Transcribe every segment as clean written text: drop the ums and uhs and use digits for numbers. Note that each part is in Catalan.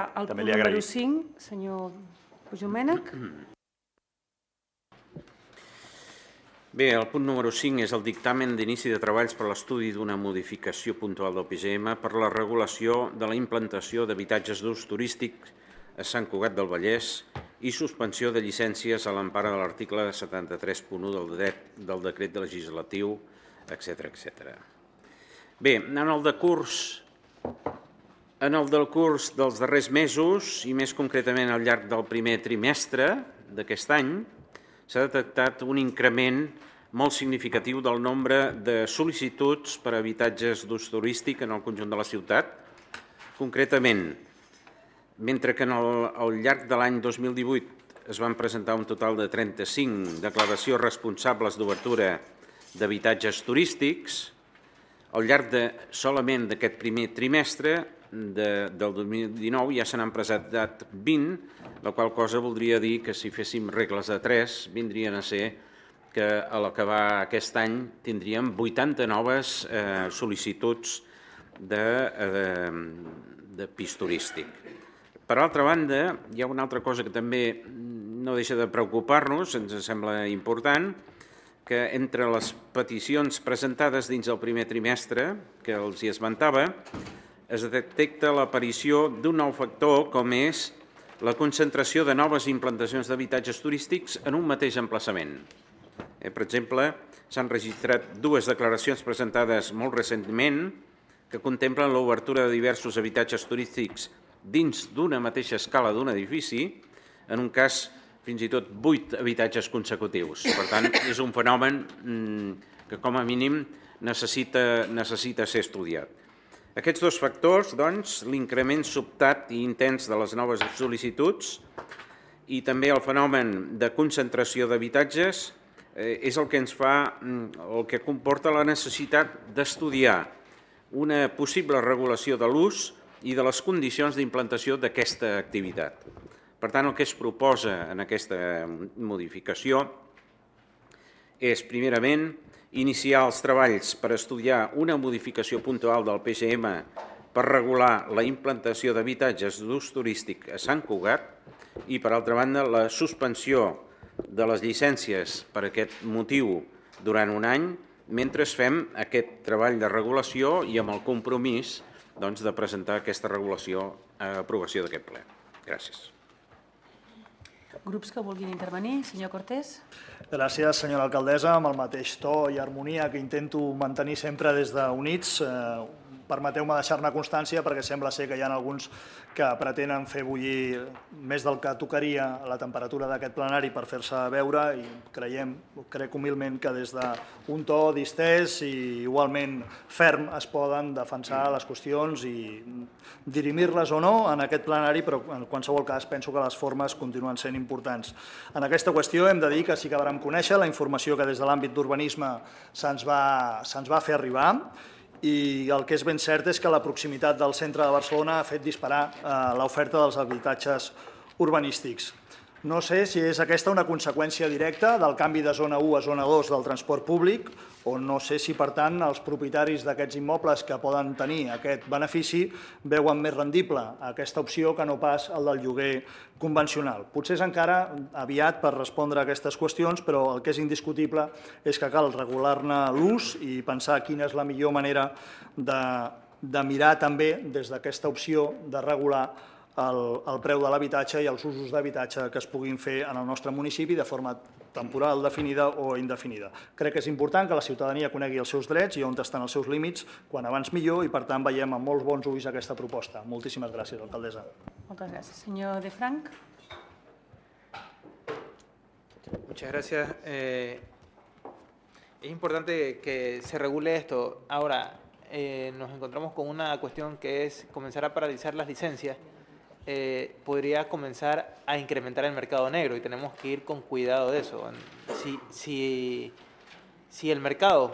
El punt número 5, senyor Puigdomènech. Bé, el punt número 5 és el dictamen d'inici de treballs per l'estudi d'una modificació puntual del PGM per la regulació de la implantació d'habitatges d'ús turístic a Sant Cugat del Vallès i suspensió de llicències a l'empara de l'article 73.1 del decret legislatiu, etc. Bé, en el decurs dels darrers mesos, i més concretament al llarg del primer trimestre d'aquest any, s'ha detectat un increment molt significatiu del nombre de sol·licituds per a habitatges d'ús turístic en el conjunt de la ciutat. Concretament, mentre que al llarg de l'any 2018 es van presentar un total de 35 declaracions responsables d'obertura d'habitatges turístics, al llarg solament d'aquest primer trimestre del 2019 ja se n'han presentat 20, la qual cosa voldria dir que si féssim regles de 3 vindrien a ser que a l'acabar aquest any tindríem 80 noves sol·licituds de pis turístic. Per altra banda, hi ha una altra cosa que també no deixa de preocupar-nos, ens sembla important, que entre les peticions presentades dins del primer trimestre, que els hi esmentava, es detecta l'aparició d'un nou factor com és la concentració de noves implantacions d'habitatges turístics en un mateix emplaçament. Per exemple, s'han registrat 2 declaracions presentades molt recentment que contemplen l'obertura de diversos habitatges turístics dins d'una mateixa escala d'un edifici, en un cas fins i tot 8 habitatges consecutius. Per tant, és un fenomen que com a mínim necessita ser estudiat. Aquests 2 factors, doncs, l'increment sobtat i intens de les noves sol·licituds i també el fenomen de concentració d'habitatges és el que ens fa, el que comporta la necessitat d'estudiar una possible regulació de l'ús i de les condicions d'implantació d'aquesta activitat. Per tant, el que es proposa en aquesta modificació és, primerament, iniciar els treballs per estudiar una modificació puntual del PGM per regular la implantació d'habitatges d'ús turístic a Sant Cugat i, per altra banda, la suspensió de les llicències per aquest motiu durant un any mentre fem aquest treball de regulació i amb el compromís de presentar aquesta regulació a aprovació d'aquest ple. Gràcies. Grups que vulguin intervenir. Senyor Cortés. Gràcies, senyora alcaldessa. Amb el mateix to i harmonia que intento mantenir sempre des d'Units, permeteu-me deixar-ne constància perquè sembla ser que hi ha alguns que pretenen fer bullir més del que tocaria la temperatura d'aquest plenari per fer-se veure i crec humilment que des d'un to distès i igualment ferm es poden defensar les qüestions i dirimir-les o no en aquest plenari, però en qualsevol cas penso que les formes continuen sent importants. En aquesta qüestió hem de dir que sí que vàrem conèixer la informació que des de l'àmbit d'urbanisme se'ns va fer arribar i el que és ben cert és que la proximitat del centre de Barcelona ha fet disparar l'oferta dels habitatges urbanístics. No sé si és aquesta una conseqüència directa del canvi de zona 1 a zona 2 del transport públic o no sé si, per tant, els propietaris d'aquests immobles que poden tenir aquest benefici veuen més rendible aquesta opció que no pas el del lloguer convencional. Potser és encara aviat per respondre a aquestes qüestions, però el que és indiscutible és que cal regular-ne l'ús i pensar quina és la millor manera de mirar també des d'aquesta opció de regular el preu de l'habitatge i els usos d'habitatge que es puguin fer en el nostre municipi de forma temporal, definida o indefinida. Crec que és important que la ciutadania conegui els seus drets i on estan els seus límits, quan abans millor, i per tant veiem amb molts bons ulls aquesta proposta. Moltíssimes gràcies, alcaldessa. Moltes gràcies. Senyor De Frank. Muchas gracias. Es importante que se regule esto. Ahora, nos encontramos con una cuestión que es comenzar a paralizar las licencias. Podría comenzar a incrementar el mercado negro y tenemos que ir con cuidado de eso. Si el mercado,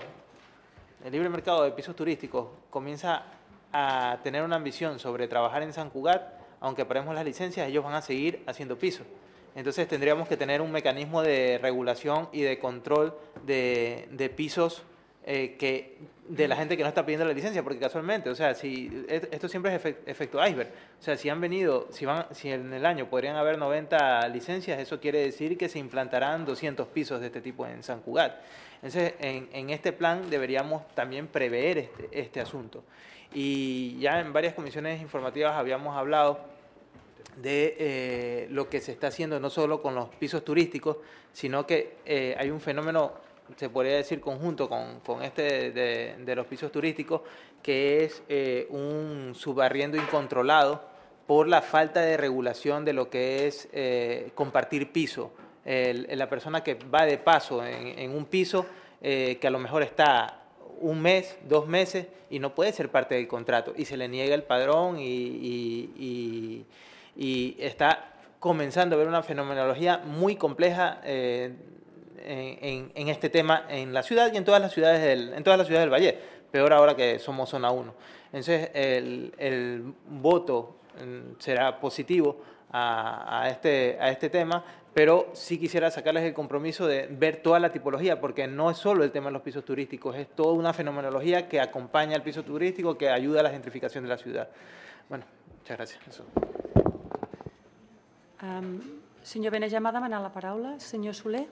el libre mercado de pisos turísticos comienza a tener una ambición sobre trabajar en San Cugat, aunque paremos las licencias, ellos van a seguir haciendo pisos. Entonces tendríamos que tener un mecanismo de regulación y de control de pisos de la gente que no está pidiendo la licencia, porque casualmente, o sea, si esto siempre es efecto iceberg. O sea, si han venido, si en el año podrían haber 90 licencias, eso quiere decir que se implantarán 200 pisos de este tipo en San Cugat. Entonces, en este plan deberíamos también prever este asunto. Y ya en varias comisiones informativas habíamos hablado de lo que se está haciendo no solo con los pisos turísticos, sino que hay un fenómeno, se podría decir conjunto con este de los pisos turísticos, que es un subarriendo incontrolado por la falta de regulación de lo que es compartir piso. La persona que va de paso en un piso que a lo mejor está un mes, 2 meses y no puede ser parte del contrato y se le niega el padrón y está comenzando a haber una fenomenología muy compleja en este tema en la ciudad y en todas las ciudades del Valle, peor ahora que somos zona 1. Entonces el voto será positivo a este tema, pero sí quisiera sacarles el compromiso de ver toda la tipología, porque no es solo el tema de los pisos turísticos, es toda una fenomenología que acompaña al piso turístico, que ayuda a la gentrificación de la ciudad. Bueno, muchas gracias. Eso. Senyor Benejam ha demanat la paraula. Senyor Soler.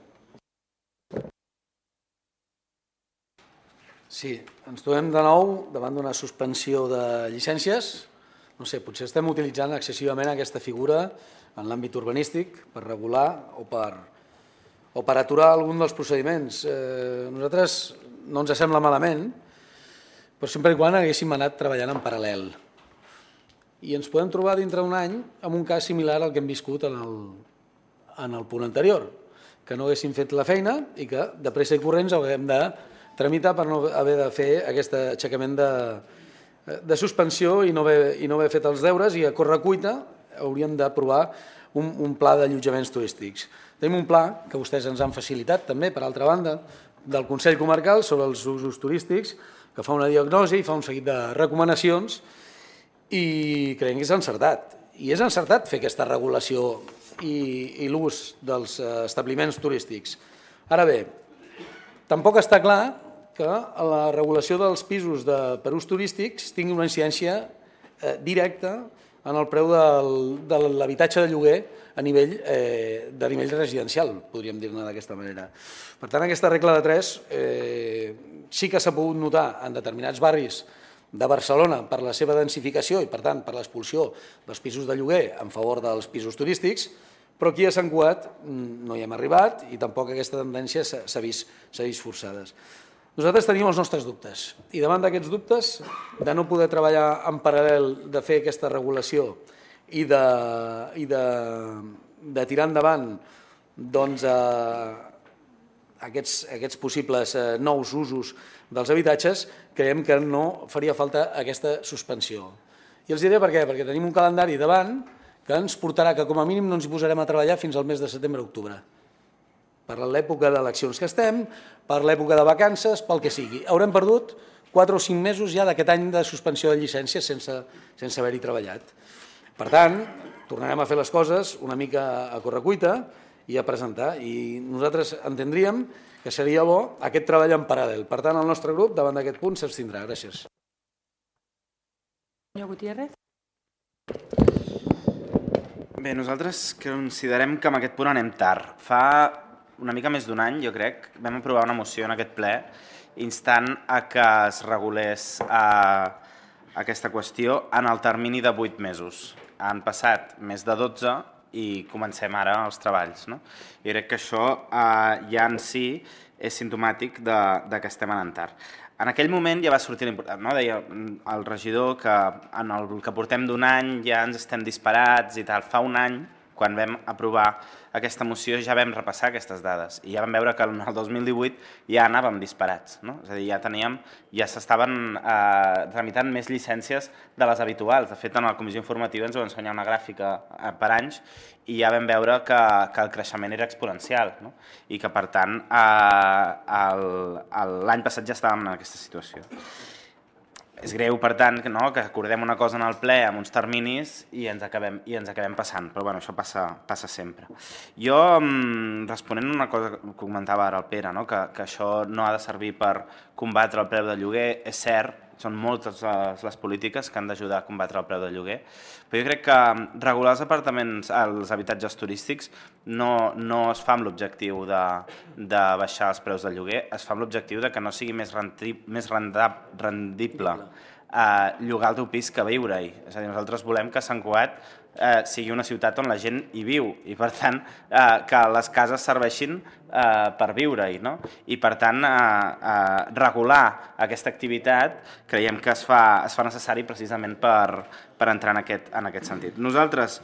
Sí, ens trobem de nou davant d'una suspensió de llicències. No sé, potser estem utilitzant excessivament aquesta figura en l'àmbit urbanístic per regular o per aturar algun dels procediments. Nosaltres no ens sembla malament, però sempre i quan haguéssim anat treballant en paral·lel. I ens podem trobar dintre d'un any amb un cas similar al que hem viscut en el punt anterior, que no haguéssim fet la feina i que de pressa i corrents haguem de tramitar per no haver de fer aquest aixecament de suspensió i no haver fet els deures, i a correcuita hauríem d'aprovar un pla d'allotjaments turístics. Tenim un pla que vostès ens han facilitat també, per altra banda, del Consell Comarcal sobre els usos turístics, que fa una diagnosi i fa un seguit de recomanacions, i creiem que és encertat. I és encertat fer aquesta regulació i l'ús dels establiments turístics. Ara bé, tampoc està clar que la regulació dels pisos per ús turístics tingui una incidència directa en el preu de l'habitatge de lloguer a nivell residencial, podríem dir-ne d'aquesta manera. Per tant, aquesta regla de 3 sí que s'ha pogut notar en determinats barris de Barcelona per la seva densificació i, per tant, per l'expulsió dels pisos de lloguer en favor dels pisos turístics, però aquí a Sant Cugat no hi hem arribat i tampoc aquesta tendència s'ha vist forçada. Nosaltres tenim els nostres dubtes i davant d'aquests dubtes de no poder treballar en paral·lel, de fer aquesta regulació i de tirar endavant aquests possibles nous usos dels habitatges, creiem que no faria falta aquesta suspensió. I els diré per què, perquè tenim un calendari davant que ens portarà que com a mínim no ens hi posarem a treballar fins al mes de setembre-octubre. Per l'època d'eleccions que estem, per l'època de vacances, pel que sigui. Haurem perdut 4 o 5 mesos ja d'aquest any de suspensió de llicències sense haver-hi treballat. Per tant, tornarem a fer les coses una mica a correcuita i a presentar. I nosaltres entendríem que seria bo aquest treball en paral·lel. Per tant, el nostre grup, davant d'aquest punt, s'abstindrà. Gràcies. Senyor Gutiérrez. Bé, nosaltres considerem que amb aquest punt anem tard. Fa una mica més d'un any, jo crec, vam aprovar una moció en aquest ple instant a que es regulés aquesta qüestió en el termini de 8 mesos. Han passat més de 12 i comencem ara els treballs. Jo crec que això ja en si és simptomàtic que estem anant tard. En aquell moment ja va sortir l'important, deia el regidor que en el que portem d'un any ja ens estem disparats i tal. Fa un any, quan vam aprovar aquesta moció, ja vam repassar aquestes dades i ja vam veure que en el 2018 ja anàvem disparats. És a dir, ja s'estaven tramitant més llicències de les habituals. De fet, en la comissió informativa ens va ensenyar una gràfica per anys i ja vam veure que el creixement era exponencial i que, per tant, l'any passat ja estàvem en aquesta situació. És greu, per tant, que acordem una cosa en el ple amb uns terminis i ens acabem passant, però bueno, això passa sempre. Jo, responent a una cosa que comentava ara el Pere, que això no ha de servir per combatre el preu del lloguer, és cert, són moltes les polítiques que han d'ajudar a combatre el preu del lloguer, però jo crec que regular els habitatges turístics no es fa amb l'objectiu de baixar els preus del lloguer, es fa amb l'objectiu de que no sigui més rendible llogar el teu pis que viure-hi. És a dir, nosaltres volem que Sant Cugat sigui una ciutat on la gent hi viu i, per tant, que les cases serveixin per viure-hi. I, per tant, regular aquesta activitat creiem que es fa necessari precisament per entrar en aquest sentit. Nosaltres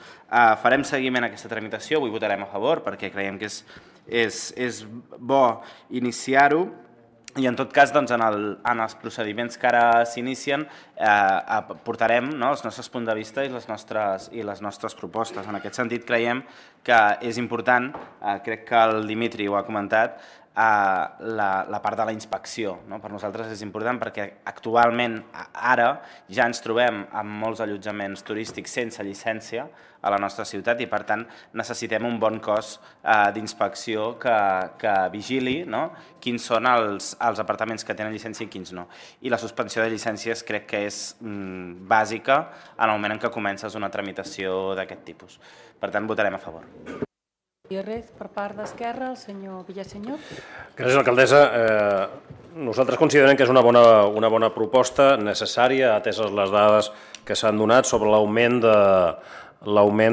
farem seguiment a aquesta tramitació, avui votarem a favor perquè creiem que és bo iniciar-ho, i en tot cas en els procediments que ara s'inicien portarem els nostres punts de vista i les nostres propostes. En aquest sentit creiem que és important, crec que el Dimitri ho ha comentat, la part de la inspecció. Per nosaltres és important perquè actualment ara ja ens trobem amb molts allotjaments turístics sense llicència a la nostra ciutat i, per tant, necessitem un bon cos d'inspecció que vigili quins són els apartaments que tenen llicència i quins no. I la suspensió de llicències crec que és bàsica en el moment en què comences una tramitació d'aquest tipus. Per tant, votarem a favor. I res, per part d'Esquerra, el senyor Villasenyor. Gràcies, alcaldessa. Nosaltres considerem que és una bona proposta, necessària, ateses les dades que s'han donat sobre l'augment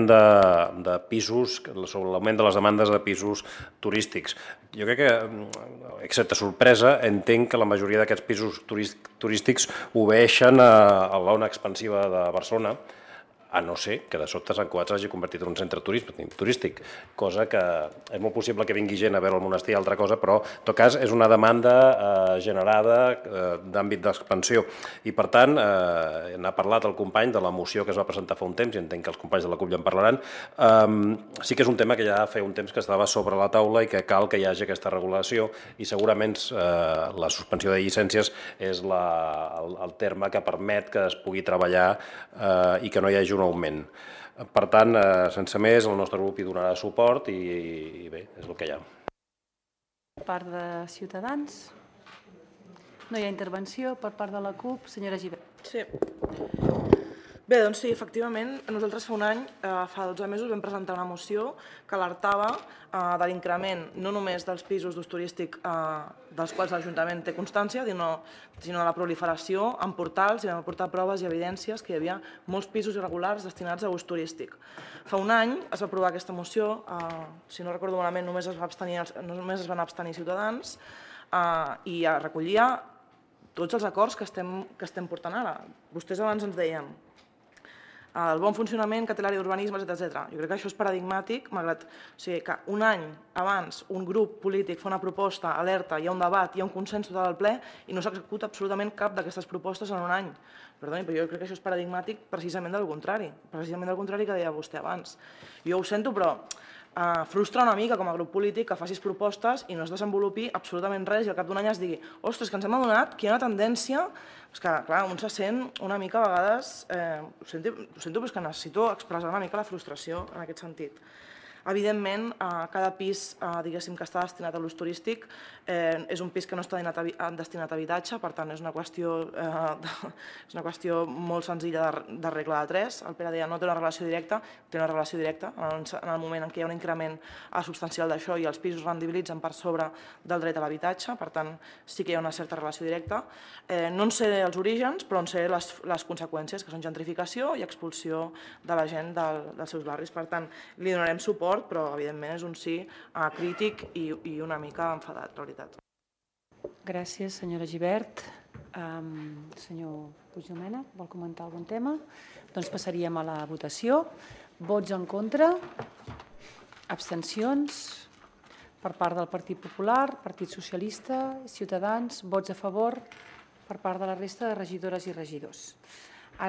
de pisos, sobre l'augment de les demandes de pisos turístics. Jo crec que, excepte sorpresa, entenc que la majoria d'aquests pisos turístics obeeixen a l'ona expansiva de Barcelona, a no ser que de sobte Sant Cugat s'hagi convertit en un centre turístic, cosa que és molt possible que vingui gent a veure el monestir i altra cosa, però en tot cas és una demanda generada d'àmbit d'expansió. I per tant, n'ha parlat el company de la moció que es va presentar fa un temps, i entenc que els companys de la CUP ja en parlaran. Sí que és un tema que ja fa un temps que estava sobre la taula i que cal que hi hagi aquesta regulació, i segurament la suspensió de llicències és el terme que permet que es pugui treballar i que no hi hagi un augment. Per tant, sense més, el nostre grup hi donarà suport i bé, és el que hi ha. Per part de Ciutadans, no hi ha intervenció. Per part de la CUP, senyora Gibert. Sí. Bé, doncs sí, efectivament, nosaltres fa un any, fa 12 mesos, vam presentar una moció que alertava de l'increment no només dels pisos d'ús turístic dels quals l'Ajuntament té constància, sinó la proliferació en portals, i vam aportar proves i evidències que hi havia molts pisos irregulars destinats a ús turístic. Fa un any es va aprovar aquesta moció, si no recordo malament només es van abstenir Ciutadans, i recollia tots els acords que estem portant ara. Vostès abans ens deien el bon funcionament que té l'àrea d'urbanisme, etc. Jo crec que això és paradigmàtic, malgrat que un any abans un grup polític fa una proposta, alerta, hi ha un debat, hi ha un consens total al ple i no s'executa absolutament cap d'aquestes propostes en un any. Perdoni, però jo crec que això és paradigmàtic precisament del contrari que deia vostè abans. Jo ho sento, però frustra una mica com a grup polític que facis propostes i no es desenvolupi absolutament res i al cap d'un any es digui ostres, que ens hem adonat que hi ha una tendència que, clar, un se sent una mica a vegades, ho sento, però és que necessito expressar una mica la frustració en aquest sentit. Evidentment, cada pis diguéssim que està destinat a l'ús turístic és un pis que no està destinat a habitatge, per tant és una qüestió molt senzilla de regla de tres. El Pere deia no té una relació directa, té una relació directa en el moment en què hi ha un increment substancial d'això i els pisos rendibilitzen per sobre del dret a l'habitatge, per tant sí que hi ha una certa relació directa. No en sé els orígens, però en sé les conseqüències, que són gentrificació i expulsió de la gent dels seus barris. Per tant, li donarem suport, però evidentment és un sí crític i una mica enfadat, la veritat. Gràcies, senyora Gibert. Senyor Puigdomènech, vol comentar algun tema? Doncs passaríem a la votació. Vots en contra? Abstencions? Per part del Partit Popular, Partit Socialista, Ciutadans, vots a favor per part de la resta de regidores i regidors.